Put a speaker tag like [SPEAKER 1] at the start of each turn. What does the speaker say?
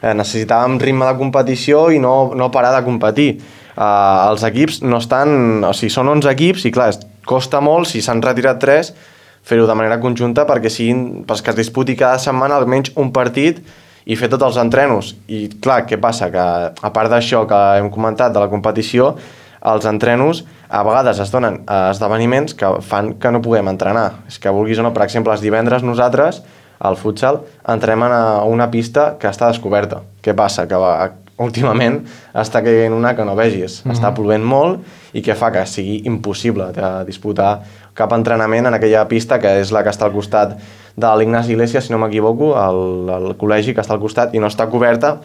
[SPEAKER 1] necessitàvem ritme de competició i no parar de competir. Els equips no estan... O sigui, són 11 equips i clar, costa molt, si s'han retirat 3, fer-ho de manera conjunta perquè que es disputi cada setmana almenys un partit i fer tots els entrenos. I clar, què passa? Que a part d'això que hem comentat de la competició, els entrenos a vegades es donen esdeveniments que fan que no puguem entrenar. És que vulguis o no, per exemple, els divendres nosaltres, al futsal, entrenem a una pista que està descoberta. Què passa? Que últimament està caient una que no vegis. Està plovent molt i que fa que sigui impossible de disputar cap entrenament en aquella pista que és la que està al costat de l'Ignasi Iglesias, si no m'equivoco, el col·legi que està al costat i no està coberta